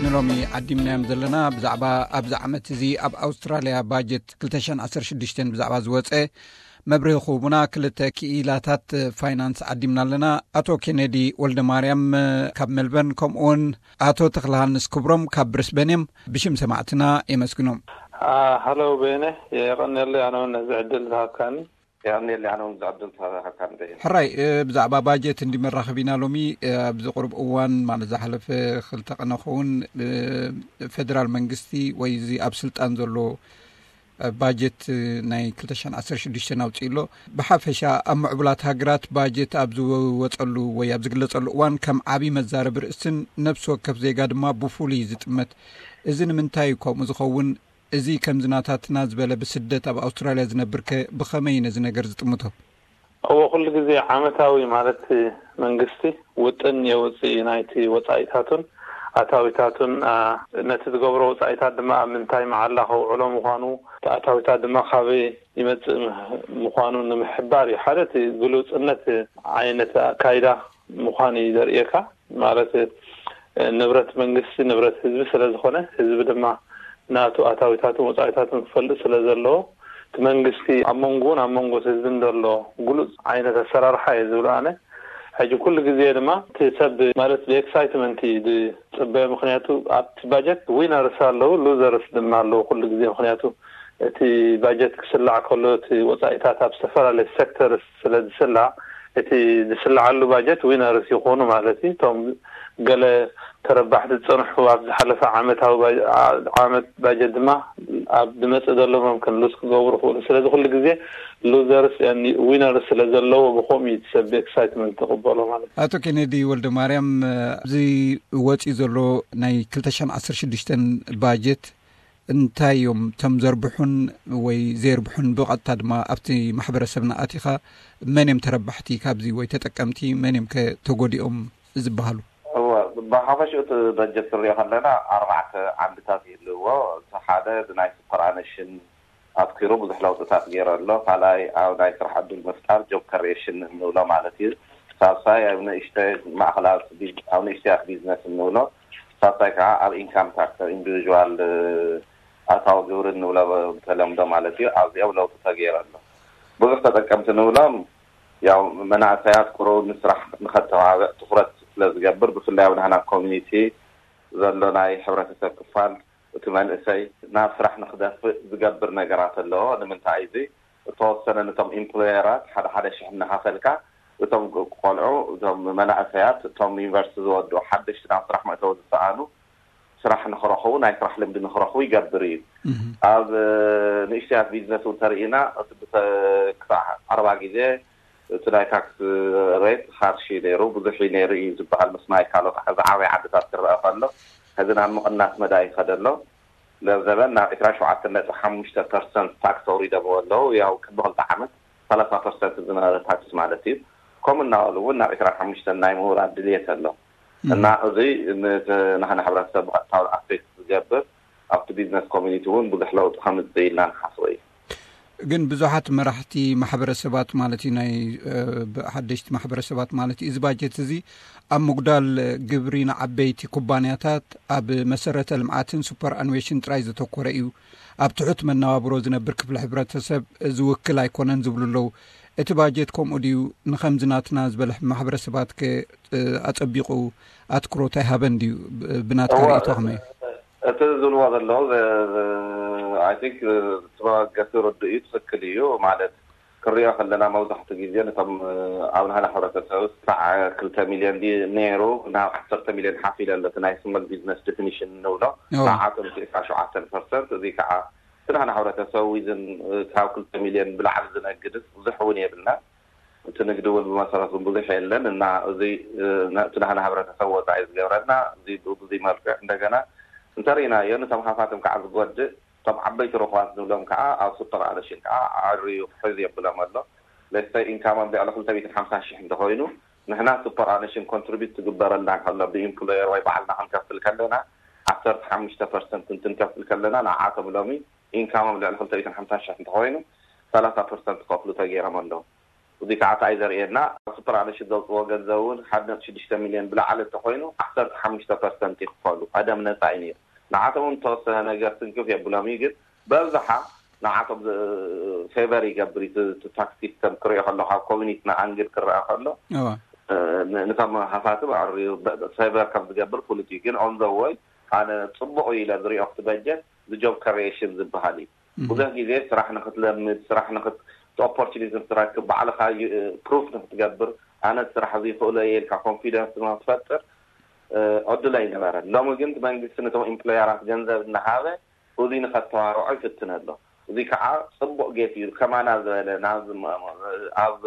ንሎሚ ዓዲምናዮም ዘለና ብዛዕባ ኣብዚ ዓመት እዚ ኣብ ኣውስትራልያ ባጀት ክልተ ሽሕን ዓሰርተ ሽዱሽተን ብዛዕባ ዝወፀ መብርሂ ክህቡና ክልተ ክኢላታት ፋይናንስ ዓዲምና ኣለና። ኣቶ ኬኔዲ ወልደ ማርያም ካብ ሜልበርን፣ ከምኡውን ኣቶ ተክለሃንስ ክብሮም ካብ ብሪስበን እዮም። ብሽም ሰማዕትና የመስግኖም። ሃሎ በየነ፣ የቐንየለይ ኣነ እውን ነዚ ዕድል ዝሃብካኒ። የቐንየለይ ኣነ እውን ዝዕድል ተረኸብካ ንደይ። ሕራይ፣ እ፣ ብዛዕባ ባጀት እንዲ መራኸብ ኢና ሎሚ። እ፣ ኣብዚ ቁሩብ እዋን፣ ማለት ዝሓለፈ ክልተ ቀነ ክኸውን፣ እ፣ ፌደራል መንግስቲ ወይ እዚ ኣብ ስልጣን ዘሎ፣ እ፣ ባጀት፣ እ፣ ናይ ክልተ ሽሕን ዓሰርተ ሽዱሽተን ኣውፅኡ ኣሎ። ብሓፈሻ ኣብ ምዕቡላት ሃገራት ባጀት ኣብ ዝወፀሉ ወይ ኣብ ዝግለፀሉ እዋን ከም ዓብዪ መዛረቢ ርእስን ነብሲ ወከፍ ዜጋ ድማ ብፍሉይ እዩ ዝጥመት። እዚ ንምንታይ እዩ ከምኡ ዝኸውን? እዚ ከምዚ ናታትና ዝበለ ብስደት ኣብ ኣውስትራልያ ዝነብርከ ብኸመይ ነዚ ነገር ዝጥምቶ? እዎ፣ ኩሉ ግዜ ዓመታዊ ማለት መንግስቲ ውጥን የውፅእ ናይቲ ወፃኢታቱን ኣታዊታቱን፣ ኣ፣ ነቲ ዝገብሮ ወፃኢታት ድማ ኣብ ምንታይ መዓላ ከውዕሎ ምዃኑ፣ እቲ ኣታዊታት ድማ ካበይ ይመፅእ ምህ-፣ ምዃኑ ንምሕባር እዩ። ሓደ እቲ ግሉፅነት ዓይነት ኣካይዳ ምዃኑ እዩ ዘርእየካ። ማለት፣ እ፣ ንብረት መንግስቲ ንብረት ህዝቢ ስለ ዝኾነ፣ ህዝቢ ድማ ናቱ ኣታዊታትን ወፃኢታትን ክፈልጥ ስለ ዘለዎ፣ እቲ መንግስቲ ኣብ መንጎን ኣብ መንጎ ህዝብን ዘሎ ግሉፅ ዓይነት ኣሰራርሓ እየ ዝብል ኣነ። ሕጂ ኩሉ ግዜ ድማ እቲ ሰብ ማለት ብኤክሳይትመንት እዩ ዝፅበዮ። ምኽንያቱ ኣብቲ ባጀት ዊነርስ ኣለዉ፣ ሉዘርስ ድማ ኣለዉ ኩሉ ግዜ። ምኽንያቱ እቲ ባጀት ክስላዕ ከሎ እቲ ወፃኢታት ኣብ ዝተፈላለየ ሴክተርስ ስለ ዝስላዕ፣ እቲ ዝስላዓሉ ባጀት ዊነርስ ይኾኑ ማለት እዩ። እቶም ገለ ተረባሕቲ ዝፀንሑ ኣብ ዝሓለፈ ዓመታዊ ባጀ-፣ ዓ-፣ ዓመት ባጀት ድማ ኣብ ዝመፅእ ዘሎ መምክን ሉዝ ክገብሩ ይኽእሉ። ስለዚ ኩሉ ግዜ ሉዘርስ ዊነርስ ስለ ዘለዎ ብኸምኡ እዩ እቲ ሰብ ብኤክሳይትመንት ዝቕበሎ ማለት እዩ። ኣቶ ኬኔዲ ወልደ ማርያም፣ እዚ ወፂኡ ዘሎ ናይ ክልተ ሽሕን ዓሰርተ ሽዱሽተን ባጀት እንታይ እዮም እቶም ዘርብሑን ወይ ዘየርብሑን? ብቐጥታ ድማ ኣብቲ ማሕበረሰብና ኣቲኻ መን እዮም ተረባሕቲ ካብዚ ወይ ተጠቀምቲ፣ መን እዮም ከ ተጎዲኦም ዝበሃሉ? እወ፣ ብሓፈሽኡ እቲ በጀት ክንሪኦ ከለና ኣርባዕተ ዓንድታት ይህልዎ። እቲ ሓደ ብናይ ሱፐር ኣነሽን ኣትኪሩ ብዙሕ ለውጥታት ገይሩ ኣሎ። ካልኣይ ኣብ ናይ ስራሕ ዕድል ምፍጣር፣ ጆብ ከሪኤሽን እንብሎ ማለት እዩ። ሳልሳይ ኣብ ንእሽተይ ማእኸላት ቢዝ-፣ ኣብ ንእሽተያት ቢዝነስ እንብሎ። ሳልሳይ ከዓ ኣብ ኢንካም ታክስ፣ ኣብ ኢንዲቪዥዋል፣ እ፣ ኣታዊ ግብሪ እንብሎ ብተለምዶ ማለት እዩ። ኣብዚኦም ለውጢ ተገይሩ ኣሎ። ብዙሕ ተጠቀምቲ ንብሎም ያው መናእሰያት ቁሩብ ንስራሕ ንኸተባብዕ ትኹረት ስለ ዝገብር፣ ብፍላይ ኣብ ናህና ኮሚኒቲ ዘሎ ናይ ሕብረተሰብ ክፋል፣ እቲ መንእሰይ ናብ ስራሕ ንኽደፍእ ዝገብር ነገራት ኣለዎ። ንምንታይ እዚ? እተወሰነ ነቶም ኢምፕሎየራት ሓደ ሓደ ሽሕ እናኸፈልካ፣ እቶም ቆልዑ፣ እቶም መናእሰያት፣ እቶም ዩኒቨርሲቲ ዝወድኡ ሓደሽቲ ናብ ስራሕ መእተዊ ዝሰኣኑ ስራሕ ንኽረኽቡ፣ ናይ ስራሕ ልምዲ ንኽረኽቡ ይገብር እዩ። እህ። ኣብ፣ እ፣ ንእሽተያት ቢዝነስ እውን ተርኢና፣ እቲ ብተ-፣ ክሳዕ ኣርባ ግዜ እቲ ናይ ታክስ ሬት ሃርሽ እዩ ነይሩ፣ ብዙሕ እዩ ነይሩ እዩ ዝበሃል። ምስ ናይ ካልኦት ዝዓበየ ዓድታት ክረአ ከሎ፣ ሕዚ ናብ ምቕናስ መዳ ይኸደ ኣሎ። ለዘበን ናብ ዕስራን ሸውዓተን ነጥቢ ሓሙሽተ ፐርሰንት ታክስ ኣውሪዶምዎ ኣለዉ። ያው ቅድሚ ክልተ ዓመት ሰላሳ ፐርሰንት ዝነበረ ታክስ ማለት እዩ። ከምኡ እናበሉ እውን ናብ ዕስራን ሓሙሽተን ናይ ምውራድ ድልየት ኣሎ። እም። እና እዚ ን-፣ ናህና ሕብረተሰብ ብቐጥታ ኣፌክት ዝገብር፣ ኣብቲ ቢዝነስ ኮሚኒቲ እውን ብዙሕ ለውጢ ከምፅእ ኢልና ንሓስቦ እዩ። ግን ብዙሓት መራሕቲ ማሕበረሰባት ማለት እዩ፣ ናይ፣ እ፣ ብ-፣ ሓደሽቲ ማሕበረሰባት ማለት እዩ፣ እዚ ባጀት እዚ ኣብ ምጉዳል ግብሪ ንዓበይቲ ኩባንያታት፣ ኣብ መሰረተ ልምዓትን ሱፐር ኣንዌሽን ጥራይ ዘተኮረ እዩ። ኣብ ትሑት መነባብሮ ዝነብር ክፍሊ ሕብረተሰብ ዝውክል ኣይኮነን ዝብሉ ኣለዉ። እቲ ባጀት ከምኡ ድዩ? ንኸምዚ ናትና ዝበለ ማሕበረሰባት ከ፣ እ፣ ኣጸቢቑ ኣትኩሮት ኣይሃበን ድዩ? ብ-፣ ብናትካ እዋ፣ ርእይቶ ከመይ እዩ? እቲ ዝብልዎ ዘለዉ፣ ዘ-፣ ዘ-፣ I think፣ እ፣ እቲ መበገሲ ርዱእ እዩ፣ ትኽክል እዩ። ማለት፣ ክሪኦ ከለና መብዛሕትኡ ግዜ ነቶም፣ እ፣ ኣብ ናህና ሕብረተሰብ ክሳዕ ክልተ ሚልዮን ድዩ ነይሩ፣ ናብ ዓሰርተ ሚልዮን ሓፍ ኢለ ኣሎ። እቲ ናይ ስሞል ቢዝነስ ዴፊኒሽን እንብሎ፣ እዋ። ንዓቶም እቲ ዕስራን ሸውዓተን ፐርሰንት፣ እዚ ከዓ እቲ ናህና ሕብረተሰብ ዊዝን፣ እ፣ ካብ ክልተ ሚልዮን ብላዕሊ ዝነግድስ ብዙሕ እውን የብልና። እቲ ንግዲ እውን ብመሰረቱ ብዙሕ የለን እና እዚ፣ እ፣ ነ-፣ እቲ ናህና ሕብረተሰብ ወፃኢ ዝገብረና እዚ ብ-፣ ብዙይ መልክዕ እንደገና እንተርኢናዮ፣ ነቶም ሃፋትም ከዓ ዝጎድእ፣ እቶም ዓበይቲ ርኹባት ንብሎም ከዓ ኣብ ሱፐር ኣነሽን ከዓ ዓርዩ ክሕዝ የብሎም ኣሎ። ለስተይ ኢንካሞም ልዕሊ ክልተ ሚእትን ሓምሳን ሽሕ እንተኾይኑ፣ ንሕና ሱፐር ኣነሽን ኮንትሪቢዩት ትግበረልና ከሎ ብኢምፕሎየር ወይ ባዕልና ክንከፍል ከለና፣ ዓሰርተ ሓሙሽተ ፐርሰንት እንትንከፍል ከለና፣ ንዓቶም ሎሚ ኢንካሞም ልዕሊ ክልተ ሚእትን ሓምሳን ሽሕ እንተኾይኑ፣ ሰላሳ ፐርሰንት ክኸፍሉ ተገይሮም ኣለዉ። እዚ ከዓ እንታይ ዘርእየና፣ ሱፐር ኣነሽት ዘውፅዎ ገንዘብ እውን ሓደ ነጥቢ ሽዱሽተ ሚሊዮን ብላዕሊ እንተኮይኑ ዓሰርተ ሓሙሽተ ፐርሰንት ይክፈሉ። ቀደም ነፃ እዩ ነይሩ። ንዓቶም እውን ተወሰነ ነገር ትንክፍ የብሎም እዩ፣ ግን በብዝሓ ንዓቶም ፌቨር ይገብር እዩ። እቲ ታክስ ሲስተም ክሪኦ ከሎ፣ ካብ ኮሚኒቲ ንኣንግድ ክረኣ ከሎ፣ ነቶም ሃፋትም ኣዕርዩ ፌቨር ከም ዝገብር ፍሉጥ እዩ። ግን ኦን ዘ ወይ ኣነ ፅቡቅ እዩ ኢለ ዝሪኦ ክቲ በጀት ጆብ ክሪኤሽን ዝበሃል እዩ። ብዙሕ ግዜ ስራሕ ንክትለምድ፣ ስራሕ ንክት ኦፖርቹኒቲ ንክትረክብ፣ ባዕልካ ፕሩፍ ንክትገብር፣ ኣነ ስራሕ እዚ ይኽእሎ እየ ኢልካ ኮንፊደንስ ንክትፈጥር ዕድል ኣይነበረን። ሎሚ ግን መንግስቲ ነቶም ኢምፕሎየራት ገንዘብ እናሃበ እዚ ንኸተባርዖ ይፍትን ኣሎ። እዚ ከዓ ፅቡቅ ጌት እዩ። ከማና ዝበለ ናብ ኣብ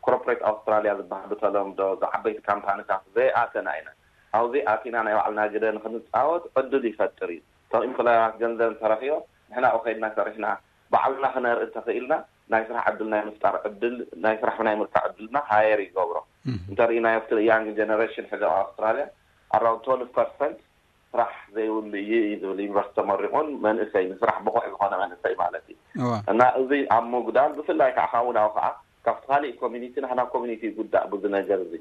ኮርፖሬት ኣውስትራሊያ ዝበሃል ብተለምዶ ዝዓበይቲ ካምፓኒታት ዘይኣተና ኢና። ኣብዚ ኣቲና ናይ ባዕልና ግደ ንክንፃወት ዕድል ይፈጥር እዩ። እቶም ኢምፕሎየራት ገንዘብ እንተረኪቦም ንሕና ኣብኡ ከይድና ሰሪሕና ባዕልና ክነርኢ እንተኽኢልና ናይ ስራሕ ዕድል ናይ ምፍጣር ዕድል ናይ ስራሕ ናይ ምርካብ ዕድልና ሃየር ይገብሮ። እንተርኢናዮ ኣብቲ ያንግ ጀነሬሽን ሕዚ ኣብ ኣውስትራሊያ ኣራውንድ ትወልቭ ፐርሰንት ስራሕ ዘይብሉ እዩ እዩ ዝብል ዩኒቨርሲቲ ተመሪቑን መንእሰይ ንስራሕ ብቑዕ ዝኾነ መንእሰይ ማለት እዩ። እና እዚ ኣብ ምጉዳል ብፍላይ ከዓ ካብኡ ናብኡ ከዓ ካብቲ ካሊእ ኮሚኒቲ ናህና ኮሚኒቲ ይጉዳእ ብዙ ነገር እዚ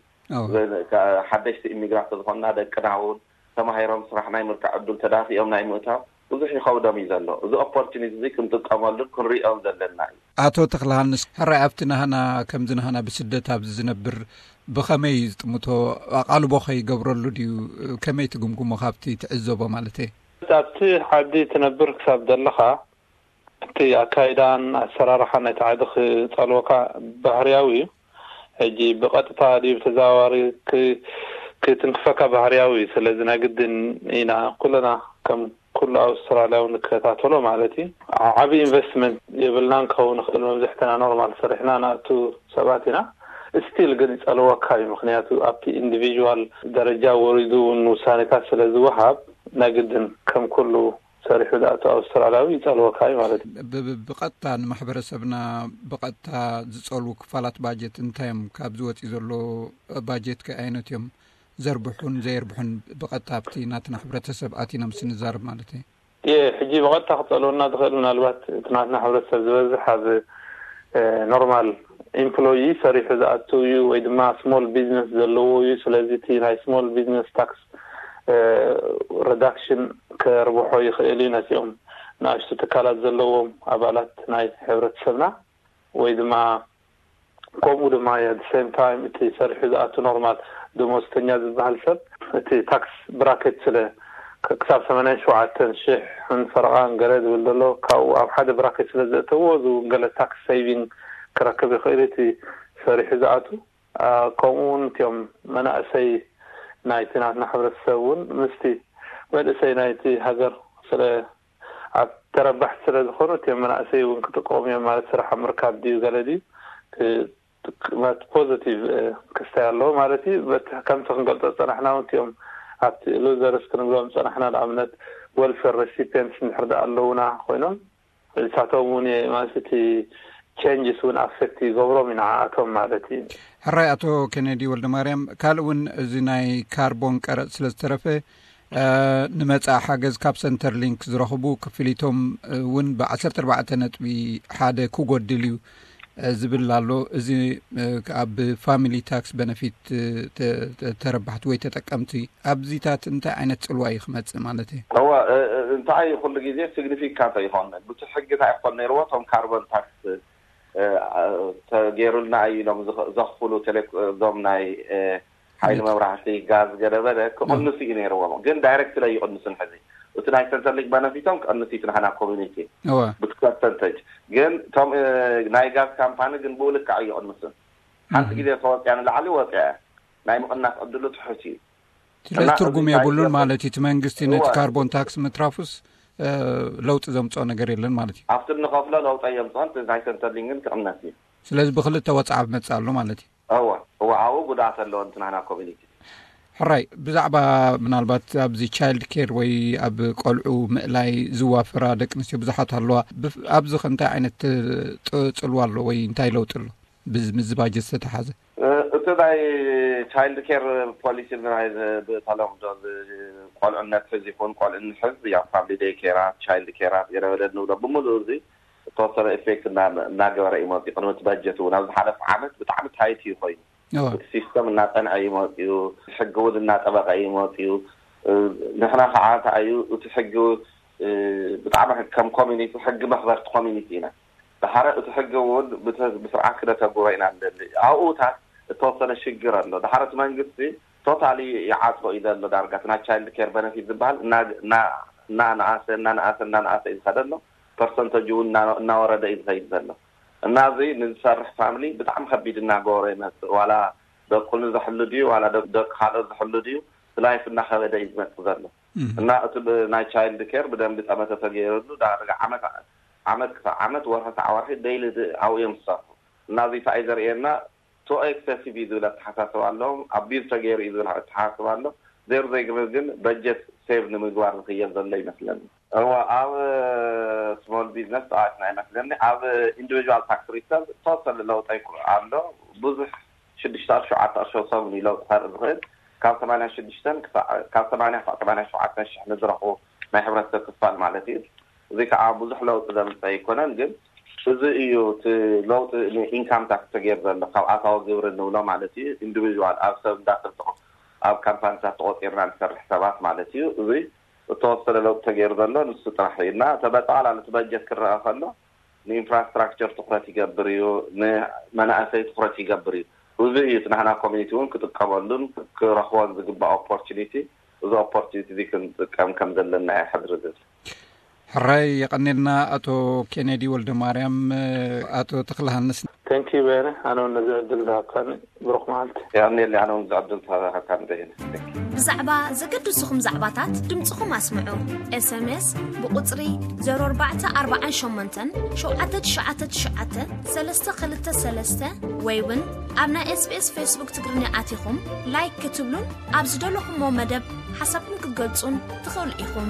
ሓደሽቲ ኢሚግራንት ዝኾንና ደቅና እውን ተማሂሮም ስራሕ ናይ ምርካዕ ዕድል ተዳፊኦም ናይ ምእታው ብዙሕ ይኸብዶም እዩ ዘሎ። እዚ ኦፖርቹኒቲ እዚ ክንጥቀመሉን ክንሪኦም ዘለና እዩ። ኣቶ ተክለሃንስ፣ ሕራይ ኣብቲ ናህና ከምዚ ናህና ብስደት ኣብዚ ዝነብር ብኸመይ ዝጥምቶ ኣቓልቦ ከይገብረሉ ድዩ? ከመይ ትግምግሞ ካብቲ ትዕዘቦ ማለት እየ? ኣብቲ ዓዲ ትነብር ክሳብ ዘለኻ እቲ ኣካይዳን ኣሰራርሓን ናይቲ ዓዲ ክጸልወካ ባህርያዊ እዩ። ሕጂ ብቐጥታ ድዩ ብተዘዋዋሪ ክትንክፈካ ባህርያዊ እዩ። ስለዚ ናይ ግድን ኢና ኩለና ከም ኩሉ ኣውስትራልያዊ ንከታተሎ ማለት እዩ። ዓቢ ኢንቨስትመንት የብልናን ክኸውን ይኽእል። መብዝሕትና ኖርማል ሰሪሕና ንኣቱ ሰባት ኢና። ስቲል ግን ይጸልወካ እዩ። ምክንያቱ ኣብቲ ኢንዲቪጅዋል ደረጃ ወሪዱ እውን ውሳኔታት ስለ ዝወሃብ ናይ ግድን ከም ኩሉ ሰሪሑ ዝኣቱ ኣውስትራልያዊ ይጸልወካ እዩ ማለት እዩ። ብቐጥታ ንማሕበረሰብና ብቐጥታ ዝጸልዉ ክፋላት ባጀት እንታይ እዮም? ካብ ዝወፅእ ዘሎ ባጀት ከ ዓይነት እዮም ዘርብሑን ዘየርብሑን ብቐጥታ ኣብቲ ናትና ሕብረተሰብ ኣቲኖም ስንዛርብ ማለት እዩ። የ ሕጂ ብቐጥታ ክጸልወና ዝኽእል ምናልባት እቲ ናትና ሕብረተሰብ ዝበዝሕ ኣብ ኖርማል ኢምፕሎይ ሰሪሑ ዝኣቱ እዩ ወይ ድማ ስሞል ቢዝነስ ዘለዎ እዩ። ስለዚ እቲ ናይ ስሞል ቢዝነስ ታክስ ረዳክሽን ከርብሖ ይኽእል እዩ። ነዚኦም ንኣሽቱ ትካላት ዘለዎም ኣባላት ናይ ሕብረተሰብና ወይ ድማ ከምኡ ድማ የ ሴም ታይም እቲ ሰሪሑ ዝኣቱ ኖርማል ደሞዝተኛ ዝበሃል ሰብ እቲ ታክስ ብራኬት ስለ ክሳብ ሰማንያን ሸውዓተን ሽሕን ፈረቓን ገለ ዝብል ዘሎ ካብኡ ኣብ ሓደ ብራኬት ስለ ዘእተዎ እዚ እውን ገለ ታክስ ሴቪንግ ክረክብ ይኽእል እቲ ሰሪሑ ዝኣቱ። ከምኡ እውን እቲኦም መናእሰይ ናይቲ ናትና ሕብረተሰብ እውን ምስቲ መንእሰይ ናይቲ ሃገር ስለ ኣብ ተረባሕቲ ስለ ዝኾኑ እቲኦም መናእሰይ እውን ክጥቀሙ እዮም ማለት ስራሕ ኣብ ምርካብ ድዩ ገለ ድዩ ማለት ፖዘቲቭ ክስታይ ኣለዎ ማለት እዩ። በቲ ከምቲ ክንገልጾ ዝጸናሕና እውን እቲኦም ኣብቲ ሉዘርስ ክንብሎም ዝጸናሕና ንኣብነት ወልፌር ሬሲፒየንትስ እንድሕር ደኣ ኣለውና ኮይኖም ንሳቶም እውን ማለት እቲ ቼንጅስ እውን ኣፌክት ይገብሮም እዩ ንዓኣቶም ማለት እዩ። ሕራይ ኣቶ ኬነዲ ወልደማርያም፣ ካልእ እውን እዚ ናይ ካርቦን ቀረጽ ስለ ዝተረፈ ንመጻኢ ሓገዝ ካብ ሰንተር ሊንክ ዝረኽቡ ክፍሊቶም እውን ብ ዓሰርተ ኣርባዕተ ነጥቢ ሓደ ክጎድል እዩ ዝብል ኣሎ። እዚ ኣብ ፋሚሊ ታክስ በነፊት ተረባሕቲ ወይ ተጠቀምቲ ኣብዚታት እንታይ ዓይነት ጽልዋ እዩ ክመጽእ ማለት እዩ? እዋ እንታይ ኩሉ ግዜ ሲግኒፊካንት ኣይኮን ብዙሕ ሕጊ እንታይ ይኮን ነይርዎ እቶም ካርቦን ታክስ ተገይሩልና እዩ ኢሎም ዘኽፍሉ ቴሌ እዞም ናይ ሓይሊ መብራህቲ ጋዝ ገለበለ ክቕንሱ እዩ ነይርዎም። ግን ዳይሬክት ላይ ይቕንሱን ሕዚ እቲ ናይ ሰንተር ሊንክ በነፊቶም ክቕንስ እዩ ናህና ኮሚኒቲ ብቲ ፐርሰንተጅ። ግን ቶም ናይ ጋዝ ካምፓኒ ግን ብኡ ልክዕ ይቕንሱን። ሓንቲ ግዜ ተወፅያ ንላዕሊ ወፅያ ናይ ምቕናስ ዕድሉ ትሑት እዩ። ስለዚ ትርጉም የብሉን ማለት እዩ። እቲ መንግስቲ ነቲ ካርቦን ታክስ ምትራፉስ ለውጢ ዘምፅኦ ነገር የለን ማለት እዩ። ኣብቲ እንኸፍሎ ለውጢ የምፅኦን ናይ ሰንተር ሊንክ ግን ክቕነስ እዩ። ስለዚ ብክልተ ወፅዓ ክመፅእ ኣሎ ማለት እዩ። እወ እወ ኣብኡ ጉድኣት ኣለዎ እቲ ናህና ኮሚኒቲ። ሕራይ ብዛዕባ ምናልባት ኣብዚ ቻይልድ ኬር ወይ ኣብ ቆልዑ ምእላይ ዝዋፈራ ደቂ ኣንስትዮ ብዙሓት ኣለዋ። ኣብዚ ከ እንታይ ዓይነት ፅልዋ ኣሎ ወይ እንታይ ለውጢ ኣሎ? ምስዚ ባጀት ዝተተሓዘ እቲ ናይ ቻይልድ ኬር ፖሊሲ ናይ ብተለምዶ ቆልዕነት ሕዚ ይኹን ቆልዕ ንሕዝ ያ ፋሚሊ ዴይ ኬራት ቻይልድ ኬራት ገለበለ ንብሎ ብምሉእ እዚ ተወሰነ ኢፌክት እናገበረ እዩ መፅኡ። ቅድሚ እቲ በጀት እውን ኣብ ዝሓለፈ ዓመት ብጣዕሚ ታይት እዩ ኮይኑ፣ እቲ ሲስተም እናፀንዐ እዩ መፅኡ፣ ሕጊ እውን እናጠበቐ እዩ መፅኡ። ንሕና ከዓ እንታይ እዩ እቲ ሕጊ፣ ብጣዕሚ ከም ኮሚኒቲ ሕጊ መኽበርቲ ኮሚኒቲ ኢና። ድሓረ እቲ ሕጊ እውን ብስርዓት ክነተግብሮ ኢና ንደሊ። ኣብኡታት እተወሰነ ሽግር ኣሎ። ድሓረ እቲ መንግስቲ ቶታሊ ይዓፅቦ እዩ ዘሎ። ዳርጋ እቲ ናይ ቻይልድ ኬር በነፊት ዝበሃል እናንኣሰ እናንኣሰ እናንኣሰ እዩ ዝኸደ ኣሎ። ፐርሰንተጅ እውን እናወረደ እዩ ዝኸይድ ዘሎ። እና እዚ ንዝሰርሕ ፋሚሊ ብጣዕሚ ከቢድ እናገበሮ ይመፅእ። ዋላ ደቁ ንዘሕሉ ድዩ ዋላ ደቂ ካልኦት ዝሕሉ ድዩ፣ ላይፍ እናኸበደ እዩ ዝመፅእ ዘሎ። እና እቲ ናይ ቻይልድ ኬር ብደንቢ ጠመተ ተገይረሉ ዳርጋ ዓመት ዓመት ክሳብ ዓመት፣ ወርሒ ክሳብ ወርሒ ደይሊ ኣብኡ እዮም ዝሰርሑ። እና እዚ እንታይ እዩ ዘርእየና? ቱ ኤክሰሲቭ እዩ ዝብል ኣተሓሳስባ ኣለዎም። ኣቢዝ ተገይሩ እዩ ዝብል ኣተሓሳስባ ኣሎ። ዜር ዘይግብር ግን በጀት ሴቭ ንምግባር ዝኽየል ዘሎ ይመስለኒ። እዋ ኣብ ስሞል ቢዝነስ ጠዋትና ይመስለኒ። ኣብ ኢንዲቪጁዋል ታክስ ሪተርን ተወሰነ ለውጠ ኣሎ። ብዙሕ ሽዱሽተ ቅርሺ ሸውዓተ ቅርሺ ሰብ እዩ ለውጢ ከርኢ ዝኽእል። ካብ ሰማንያ ሽዱሽተ ካብ ሰማንያ ክሳብ ሰማንያ ሸውዓተ ሽሕ ንዝረኽቡ ናይ ሕብረተሰብ ክፋል ማለት እዩ። እዚ ከዓ ብዙሕ ለውጢ ዘምፀ ኣይኮነን። ግን እዚ እዩ እቲ ለውጢ ንኢንካም ታክስ ተገይሩ ዘሎ፣ ካብ ኣታዊ ግብሪ ንብሎ ማለት እዩ። ኢንዲቪጁዋል ኣብ ሰብ እንዳትርትቑ ኣብ ካምፓኒታት ተቆፂርና ንሰርሕ ሰባት ማለት እዩ። እዚ እተወሰነ ለውጢ ተገይሩ ዘሎ ንሱ ጥራሕ እዩ። እና ተበጠቓላሊ እቲ በጀት ክረአ ከሎ ንኢንፍራስትራክቸር ትኩረት ይገብር እዩ፣ ንመናእሰይ ትኩረት ይገብር እዩ። እዚ እዩ እቲ ናህና ኮሚኒቲ እውን ክጥቀመሉን ክረኽቦን ዝግባእ ኦፖርቹኒቲ። እዚ ኦፖርቹኒቲ እዚ ክንጥቀም ከም ዘለና ይሕድር ዝብል። ሕራይ የቐኔልና ኣቶ ኬኔዲ ወልደ ማርያም። ኣቶ ተክለሃንስ። ተንኪ በየነ፣ ኣነ እውን ነዚ ዕድል ዝሃብካኒ ብሩኽ መዓልቲ። የቐኔሊ፣ ኣነ እውን ዝዕድል ተባሃካ ንደይነ። ብዛዕባ ዘገድስኹም ዛዕባታት ድምፅኹም ኣስምዑ። ኤስኤምኤስ ብቁፅሪ ዘሮ ኣርባዕተ ኣርባዓን ሸሞንተን ሸውዓተ ትሽዓተ ትሽዓተ ሰለስተ ክልተ ሰለስተ ወይ እውን ኣብ ናይ ኤስቢኤስ ፌስቡክ ትግርኛ ኣቲኹም ላይክ ክትብሉን ኣብ ዝደለኹሞ መደብ ሓሳብኩም ክትገልጹን ትኽእሉ ኢኹም።